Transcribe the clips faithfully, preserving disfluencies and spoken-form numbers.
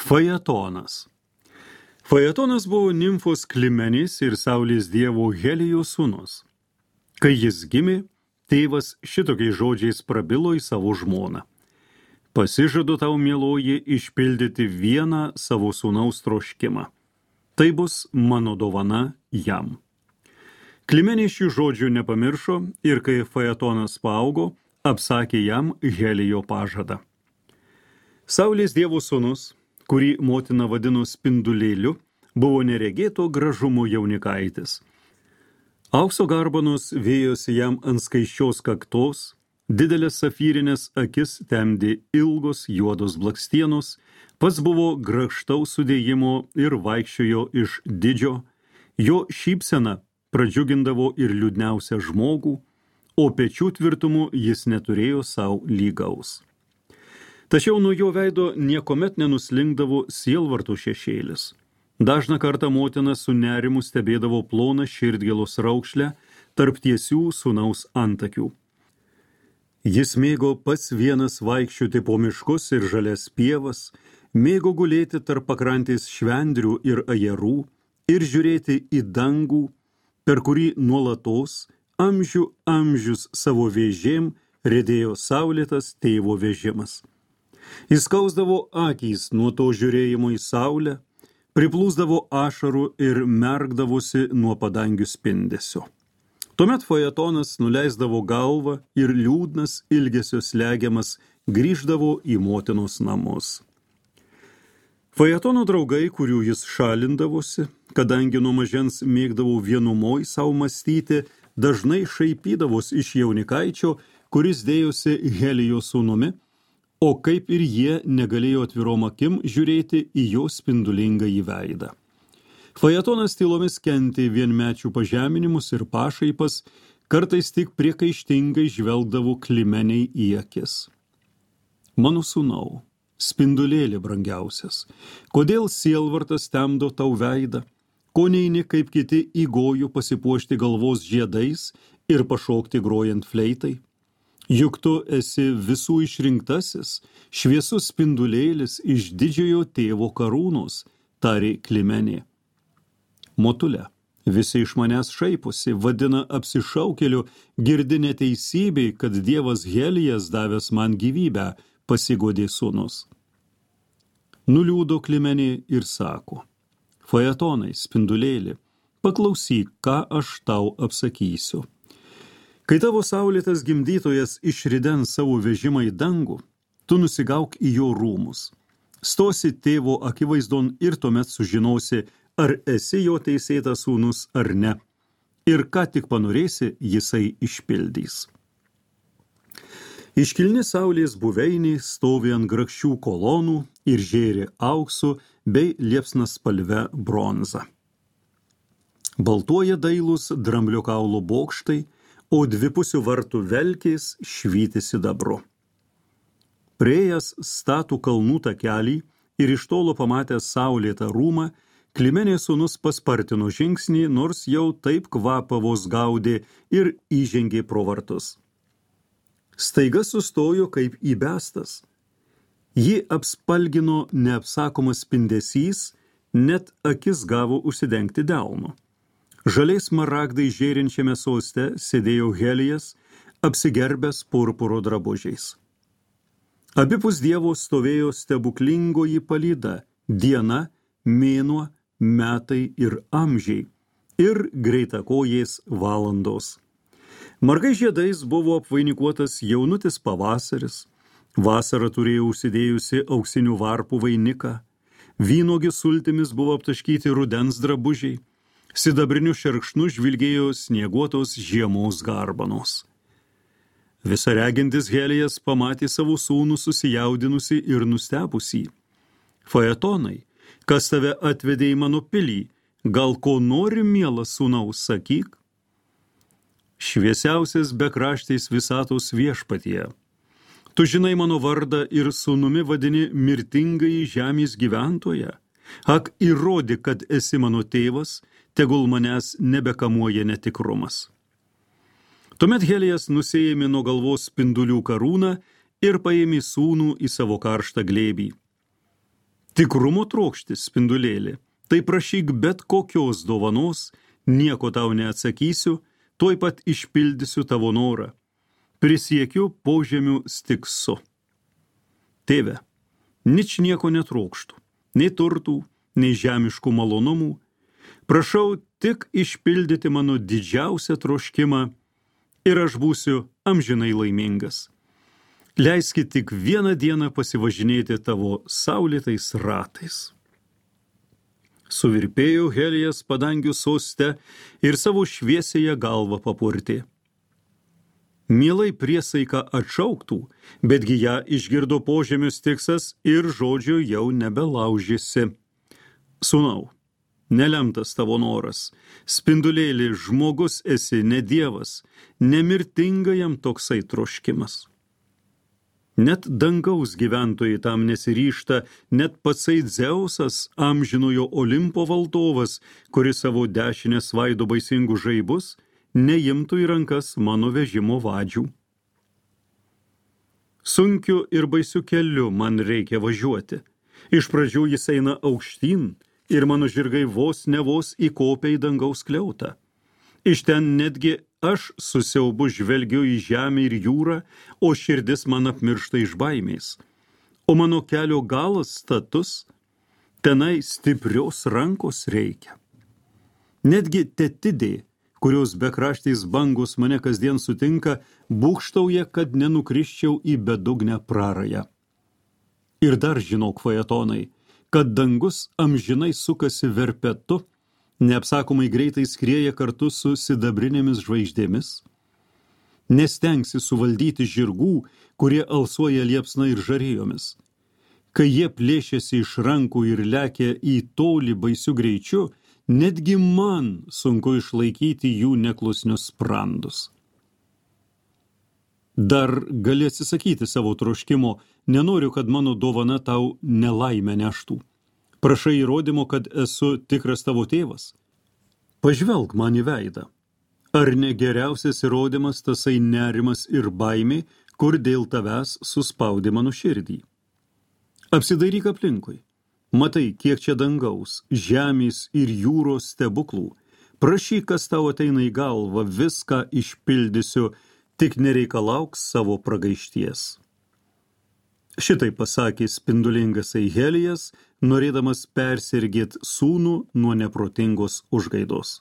Fajetonas. Fajetonas buvo nimfos Klimenės ir saulės dievo Helijo sūnus. Kai jis gimė, tėvas šitokiais žodžiais prabilo į savo žmoną. Pasižadu tau, mieloji, išpildyti vieną savo sūnaus troškimą. Tai bus mano dovana jam. Klimenė šių žodžių nepamiršo ir kai Fajetonas paaugo, apsakė jam Helijo pažadą. Saulės dievo sūnus, kurį motina vadino spindulėliu, buvo neregėto gražumo jaunikaitis. Aukso garbanos vėjosi jam ant skaisčios kaktos, didelės safyrinės akis temdė ilgos juodos blakstienos, pats buvo grakštaus sudėjimo ir vaikščiojo iš didžio, jo šypsena pradžiugindavo ir liūdniausią žmogų, o pečių tvirtumu jis neturėjo savo lygaus. Tačiau nuo jo veido niekomet nenuslinkdavo sielvarto šešėlis. Dažną kartą motina su nerimu stebėdavo ploną širdgėlos raukšlę tarp tiesių sūnaus antakių. Jis mėgo pats vienas vaikščioti po miškus ir žalias pievas, mėgo gulėti tarp pakrantės švendrių ir ajerų ir žiūrėti į dangų, per kurį nuolatos, amžių amžius savo vėžėm riedėjo saulėtas tėvo vežimas. Jis skausdavo akys nuo to žiūrėjimo į saulę, priplūsdavo ašarų ir merkdavosi nuo padangių spindesio. Tuomet Fajetonas nuleisdavo galvą ir liūdnas ilgesio slegiamas grįždavo į motinos namus. Fajetono draugai, kurių jis šalindavosi, kadangi nuo mažens mėgdavo vienumoj savo mąstyti, dažnai šaipydavos iš jaunikaičio, kuris dėjosi Helijo sūnumi, o kaip ir jie negalėjo atvirom akim žiūrėti į jo spindulingą į veidą. Fajetonas tylomis kentė vienmečių pažeminimus ir pašaipas, kartais tik priekaištingai žvelgdavo Klimeniai į akis. Mano sūnau, spindulėlė brangiausias, kodėl sielvartas temdo tau veidą, ko neini kaip kiti įgojo pasipuošti galvos žiedais ir pašokti grojant fleitai? Juk tu esi visų išrinktasis, šviesus spindulėlis iš didžiojo tėvo karūnos, tarė Klimenė. Motule, visi iš manęs šaiposi, vadina apsišaukėliu, girdi neteisybei, kad dievas Helijas davęs man gyvybę, pasigodė sūnus. Nuliūdo Klimenė ir sako, Fajetonai, spindulėli, paklausyk, ką aš tau apsakysiu. Kai tavo saulėtas gimdytojas išridens savo vežimą į dangų, tu nusigauk į jo rūmus. Stosi tėvo akivaizdon ir tuomet sužinosi, ar esi jo teisėtas sūnus ar ne. Ir ką tik panorėsi, jisai išpildys. Iškilni saulės buveiniai stovi ant grakščių kolonų ir žėri auksu bei liepsnas spalve bronza. Baltuoja dailūs dramblio kaulo bokštai, o dvipusių vartų velkės švyti sidabru. Priėjęs statų kalnų takelį ir iš tolo pamatęs saulėtą rūmą, Klimenės sūnus paspartino žingsnį, nors jau taip kvapą vos gaudė ir įžengė pro vartus. Staiga sustojo kaip įbestas. Jį apspalgino neapsakomas spindesys, net akis gavo užsidengti delnu. Žaliais smaragdai žėrinčiame soste sėdėjo Helijas, apsigerbęs purpuro drabužiais. Abipus dievo stovėjo stebuklingoji palyda, diena, mėnuo, metai ir amžiai, ir greitakojės valandos. Margai žiedais buvo apvainikuotas jaunutis pavasaris, vasara turėjo užsidėjusi auksinių varpų vainiką, vynuogių sultimis buvo aptaškyti rudens drabužiai, sidabriniu šerkšnu žvilgėjo snieguotos žiemos garbanos. Visa regintis Helijas pamatė savo sūnų susijaudinusi ir nustebusį. Fajetonai, kas tave atvedė į mano pilį, gal ko nori, mielas sūnaus, sakyk? Šviesiausias bekraštais visatos viešpatie. Tu žinai mano vardą ir sūnumi vadini mirtingąjį žemės gyventoją. Ak, įrodyk, kad esi mano tėvas, tegul manęs nebekamuoja netikrumas. Tuomet Helijas nusiėmė nuo galvos spindulių karūną ir paėmė sūnų į savo karštą glėbį. Tikrumo trokštis, spindulėlį, tai prašyk bet kokios dovanos, nieko tau neatsakysiu, tuoj pat išpildysiu tavo norą. Prisiekiu požemių stiksu. Tėve, nič nieko netrokštų, nei turtų, nei žemiškų malonumų. Prašau tik išpildyti mano didžiausią troškimą ir aš būsiu amžinai laimingas. Leiskit tik vieną dieną pasivažinėti tavo saulėtais ratais. Suvirpėjo Helijas padangių soste ir savo šviesėje galvą papurtė. Mielai priesaiką atšauktų, betgi ją išgirdo požemių stiksas ir žodžio jau nebelaužėsi. Sūnau, nelemtas tavo noras, spindulėlį žmogus esi, ne dievas, nemirtinga jam toksai troškimas. Net dangaus gyventojai tam nesiryšta, net patsai Dzeusas, amžinojo Olimpo valdovas, kuris savo dešinę svaido baisingus žaibus, neimtų į rankas mano vežimo vadžių. Sunkiu ir baisiu keliu man reikia važiuoti. Iš pradžių jis eina aukštyn ir mano žirgai vos ne vos įkopia į dangaus skliautą. Iš ten netgi aš su siaubu žvelgiu į žemę ir jūrą, o širdis man apmiršta iš baimės. O mano kelio galas status, tenai stiprios rankos reikia. Netgi Tetidė, kurios bekraštės bangos mane kasdien sutinka, būkštauja, kad nenukriščiau į bedugnę prarają. Ir dar žinok, faetonai, kad dangus amžinai sukasi verpetu, neapsakomai greitai skrieja kartu su sidabrinėmis žvaigždėmis, nestengsi suvaldyti žirgų, kurie alsuoja liepsna ir žarėjomis. Kai jie plėšėsi iš rankų ir lekia į tolį baisiu greičiu, netgi man sunku išlaikyti jų neklusnius sprandus. Dar gali atsisakyti savo troškimo, nenoriu, kad mano dovana tau nelaimę neštų. Prašai įrodymo, kad esu tikras tavo tėvas. Pažvelk man į veidą. Ar ne geriausias įrodymas tasai nerimas ir baimė, kur dėl tavęs suspaudė mano širdį? Apsidairyk aplinkui. Matai, kiek čia dangaus, žemės ir jūros stebuklų. Prašyk, kas tau ateina į galvą, viską išpildysiu, tik nereikalauk savo pragaišties. Šitai pasakė spindulingas Helijas, norėdamas persirgėt sūnų nuo neprotingos užgaidos.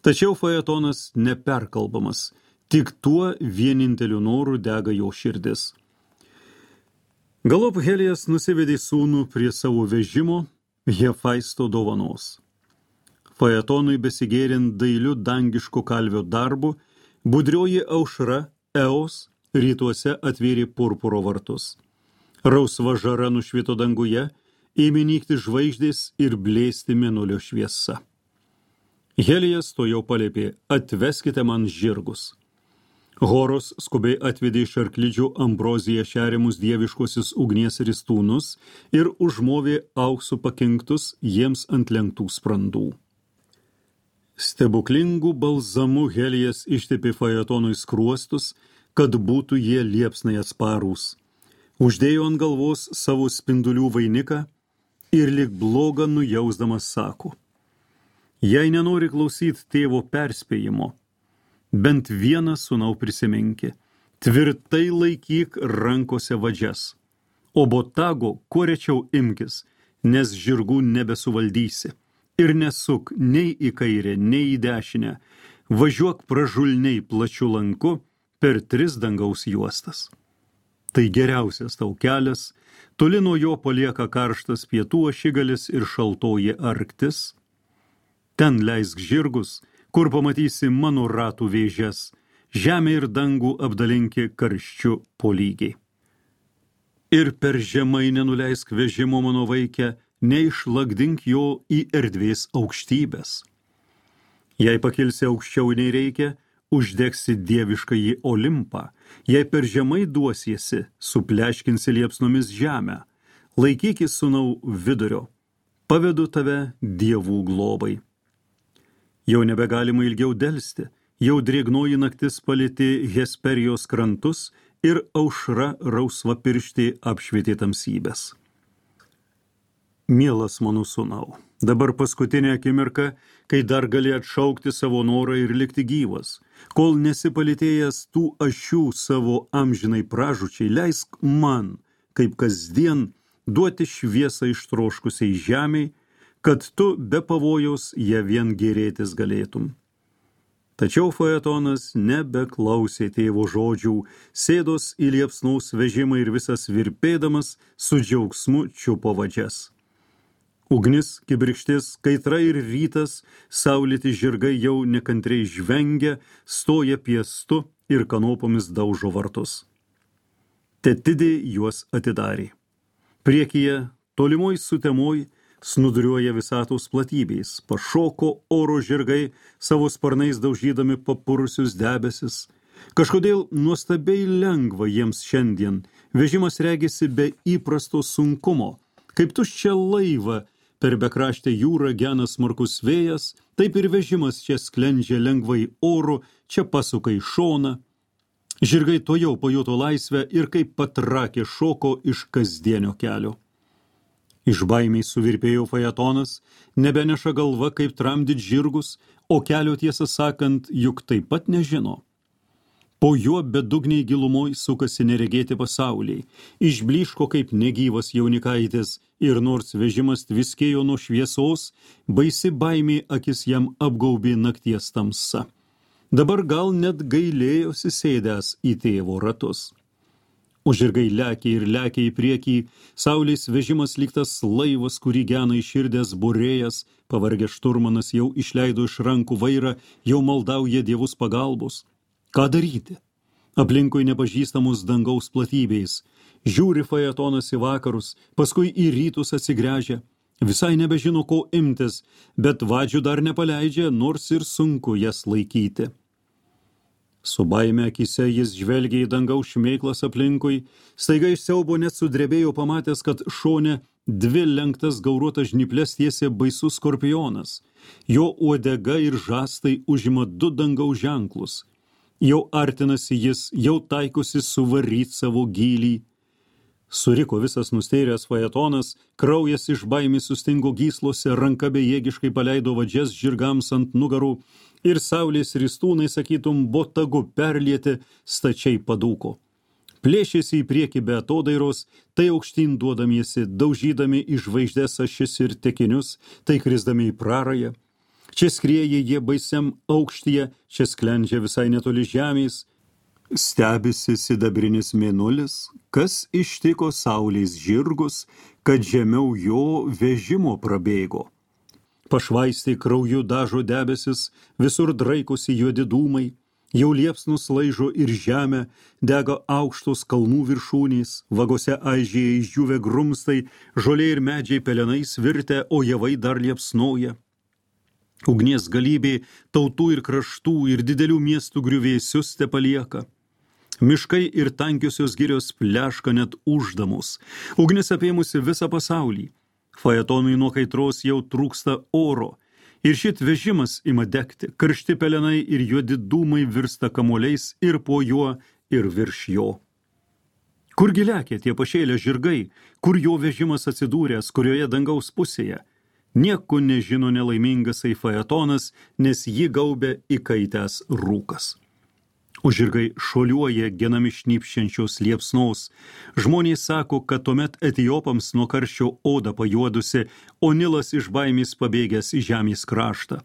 Tačiau faetonas neperkalbamas, tik tuo vieninteliu noru dega jo širdis. Galop Helijas nusivedė sūnų prie savo vežimo Hefaisto dovanos. Faetonui besigėrint dailiu dangiško kalvio darbu, budrioji aušra Eos rytuose atvėrė purpuro vartus. Rausva žara nušvito danguje, ėmė nykti žvaigždės ir blėsti mėnulio šviesa. Helijas to jau paliepė, atveskite man žirgus. Horos skubiai atvedė iš arklidžių ambroziją šeriamus dieviškosius ugnies ristūnus ir užmovė auksų pakinktus jiems ant lenktų sprandų. Stebuklingų balzamų Helijas ištepė faetonui skruostus, kad būtų jie liepsnai atsparūs. Uždėjo ant galvos savo spindulių vainiką ir lyg blogą nujausdamas sako: jei nenori klausyti tėvo perspėjimo, bent vieną sūnau prisiminki, tvirtai laikyk rankose vadžias, o botago kuo rečiau imkis, nes žirgų nebesuvaldysi, ir nesuk nei į kairę, nei į dešinę, važiuok pražulniai plačiu lanku per tris dangaus juostas. Tai geriausias tau kelias, toli nuo jo palieka karštas pietų ašigalis ir šaltoji Arktis. Ten leisk žirgus, kur pamatysi mano ratų vėžes, žemę ir dangų apdalinki karščiu po lygiai. Ir per žemai nenuleisk vežimo mano vaikę, neišlakdink jo į erdvės aukštybės. Jei pakilsi aukščiau nei reikia, uždegsi dieviškąjį Olimpą, jei per žemai duosiesi, supleškinsi liepsnomis žemę, laikykis sūnau vidurio, pavedu tave dievų globai. Jau nebegalima ilgiau delsti, jau drėgnoji naktis palėtė Hesperijos krantus ir aušra rausva pirštė apšvietė tamsybės. Mielas mano sūnau, dabar paskutinė akimirka, kai dar gali atšaukti savo norą ir likti gyvas. Kol nesipalitėjęs tų ašių savo amžinai pražučiai, leisk man, kaip kasdien, duoti šviesą ištroškusiai žemiai, kad tu be pavojaus ją vien gėrėtis galėtum. Tačiau Faetonas nebeklausė tėvo žodžių, sėdos į liepsnaus vežimą ir visas virpėdamas su džiaugsmu čiupo vadžias. Ugnis, kibirkštis, kaitra ir rytas, saulėti žirgai jau nekantriai žvengia, stoja piestu ir kanopomis daužo vartus. Tetidė juos atidarė. Priekyje, tolimoj sutemoj, snuduriuoja visatos platybės, pašoko oro žirgai, savo sparnais daužydami papurusius debesis. Kažkodėl nuostabiai lengva jiems šiandien, vežimas regisi be įprasto sunkumo, kaip tuščia laiva, per bekraštę jūrą gena smarkus vėjas, taip ir vežimas čia sklendžia lengvai oru, čia pasuka į šoną. Žirgai tuojau pajuto laisvę ir kaip patrakė šoko iš kasdienio kelio. Iš baimiai suvirpėjo Faetonas, nebeneša galva kaip tramdyt žirgus, o kelio tiesą sakant, juk taip pat nežino. Po juo bedugniai gilumoj sukasi neregėti pasauliai, išblyško kaip negyvas jaunikaitis ir nors vežimas tviskėjo nuo šviesos, baisi baimė akis jam apgaubė nakties tamsa. Dabar gal net gailėjosi sėdęs į tėvo ratus. O žirgai lekia ir lekia į priekį, saulės vežimas lyg tas laivas, kurį gena iširdęs būrėjas, pavargęs šturmanas jau išleido iš rankų vairą, jau maldauja dievus pagalbos. Ką daryti? Aplinkui nepažįstamos dangaus platybės. Žiūri Faetonas į vakarus, paskui į rytus atsigręžia. Visai nebežino, ko imtis, bet vadžių dar nepaleidžia, nors ir sunku jas laikyti. Su baime akise jis žvelgia į dangaus šmėklas aplinkui, staiga iš siaubo net sudrebėjo pamatęs, kad šone dvi lenktas gauruotas žnyples tiesė baisus skorpionas. Jo uodega ir žastai užima du dangaus ženklus. Jau artinasi jis, jau taikosi suvaryt savo gylį. Suriko visas nustėręs Faetonas, kraujas iš baimės sustingo gyslose, ranka bejėgiškai paleido vadžias žirgams ant nugarų ir saulės ristūnai, sakytum, botagu perlieti, stačiai padūko. Plėšėsi į priekį be atodairos, tai aukštyn duodamiesi, daužydami į žvaigždės ašis ir tekinius, tai krisdami į prarają. Čia skrieja jie baisiam aukštyje, čia sklendžia visai netoli žemės. Stebisi sidabrinis mėnulis, kas ištiko saulės žirgus, kad žemiau jo vežimo prabėgo. Pašvaistai krauju dažo debesis, visur draikosi juodi dūmai, jau liepsnus laižo ir žemę, dega aukštos kalnų viršūnės, vagose aižėja išdžiūvę grumstai, žolė ir medžiai pelenais virtę, o javai dar liepsnoja. Ugnies galybė tautų ir kraštų ir didelių miestų griuvėsius tepalieka. Miškai ir tankiosios girios pleška net uždamos. Ugnis apėmusi visą pasaulį. Faetonui nuo kaitros jau trūksta oro. Ir šit vežimas ima degti. Karšti pelenai ir juodi dūmai virsta kamuoliais ir po juo ir virš jo. Kurgi lekia tie pašėlę žirgai, kur jo vežimas atsidūręs, kurioje dangaus pusėje? Nieko nežino nelaimingasai Faetonas, nes jį gaubė įkaitęs rūkas. O žirgai šuoliuoja genami šnypščiančios liepsnos. Žmonės sako, kad tuomet etiopams nuo karščio oda pajuodusi, o Nilas iš baimės pabėgęs į žemės kraštą.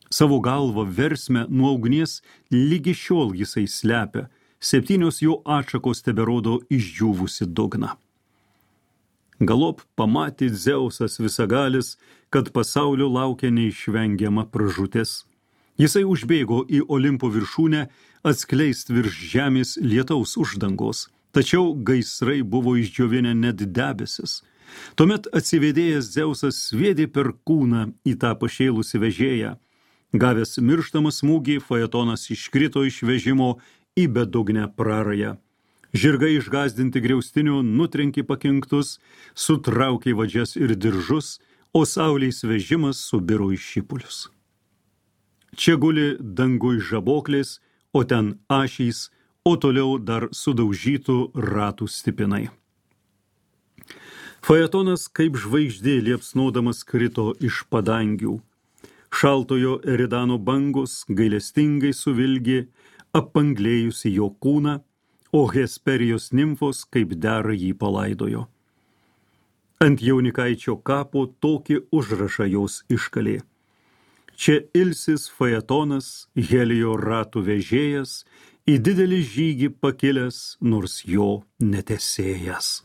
Savo galvą versme nuo ugnies lygi šiol jisai slepia, septynios jo atšakos teberodo išdžiūvusi dugną. Galop pamatė Dzeusas visagalis, kad pasaulio laukia neišvengiama pražūtis. Jisai užbėgo į Olimpo viršūnę atskleist virš žemės lietaus uždangos, tačiau gaisrai buvo išdžiovinę net debesis. Tuomet atsivedėjęs Dzeusas sviedė per kūną į tą pašėlusį vežėją. Gavęs mirštamą smūgį, Faetonas iškrito iš vežimo į bedugnę prarają. Žirgai išgazdinti griaustinių nutrenkė pakinktus, sutraukė vadžias ir diržus, o saulės vežimas subiro į šipulius. Čia guli dangui žaboklės, o ten ašys, o toliau dar sudaužytų ratų stipinai. Faetonas kaip žvaigždė liepsnodamas krito iš padangių. Šaltojo Eridano bangos gailestingai suvilgė apanglėjusi jo kūną, o Hesperijos nimfos kaip dera jį palaidojo. Ant jaunikaičio kapo tokį užrašą jos iškalė. Čia ilsis Faetonas, Helijo ratų vežėjas, į didelį žygį pakilęs, nors jo netesėjas.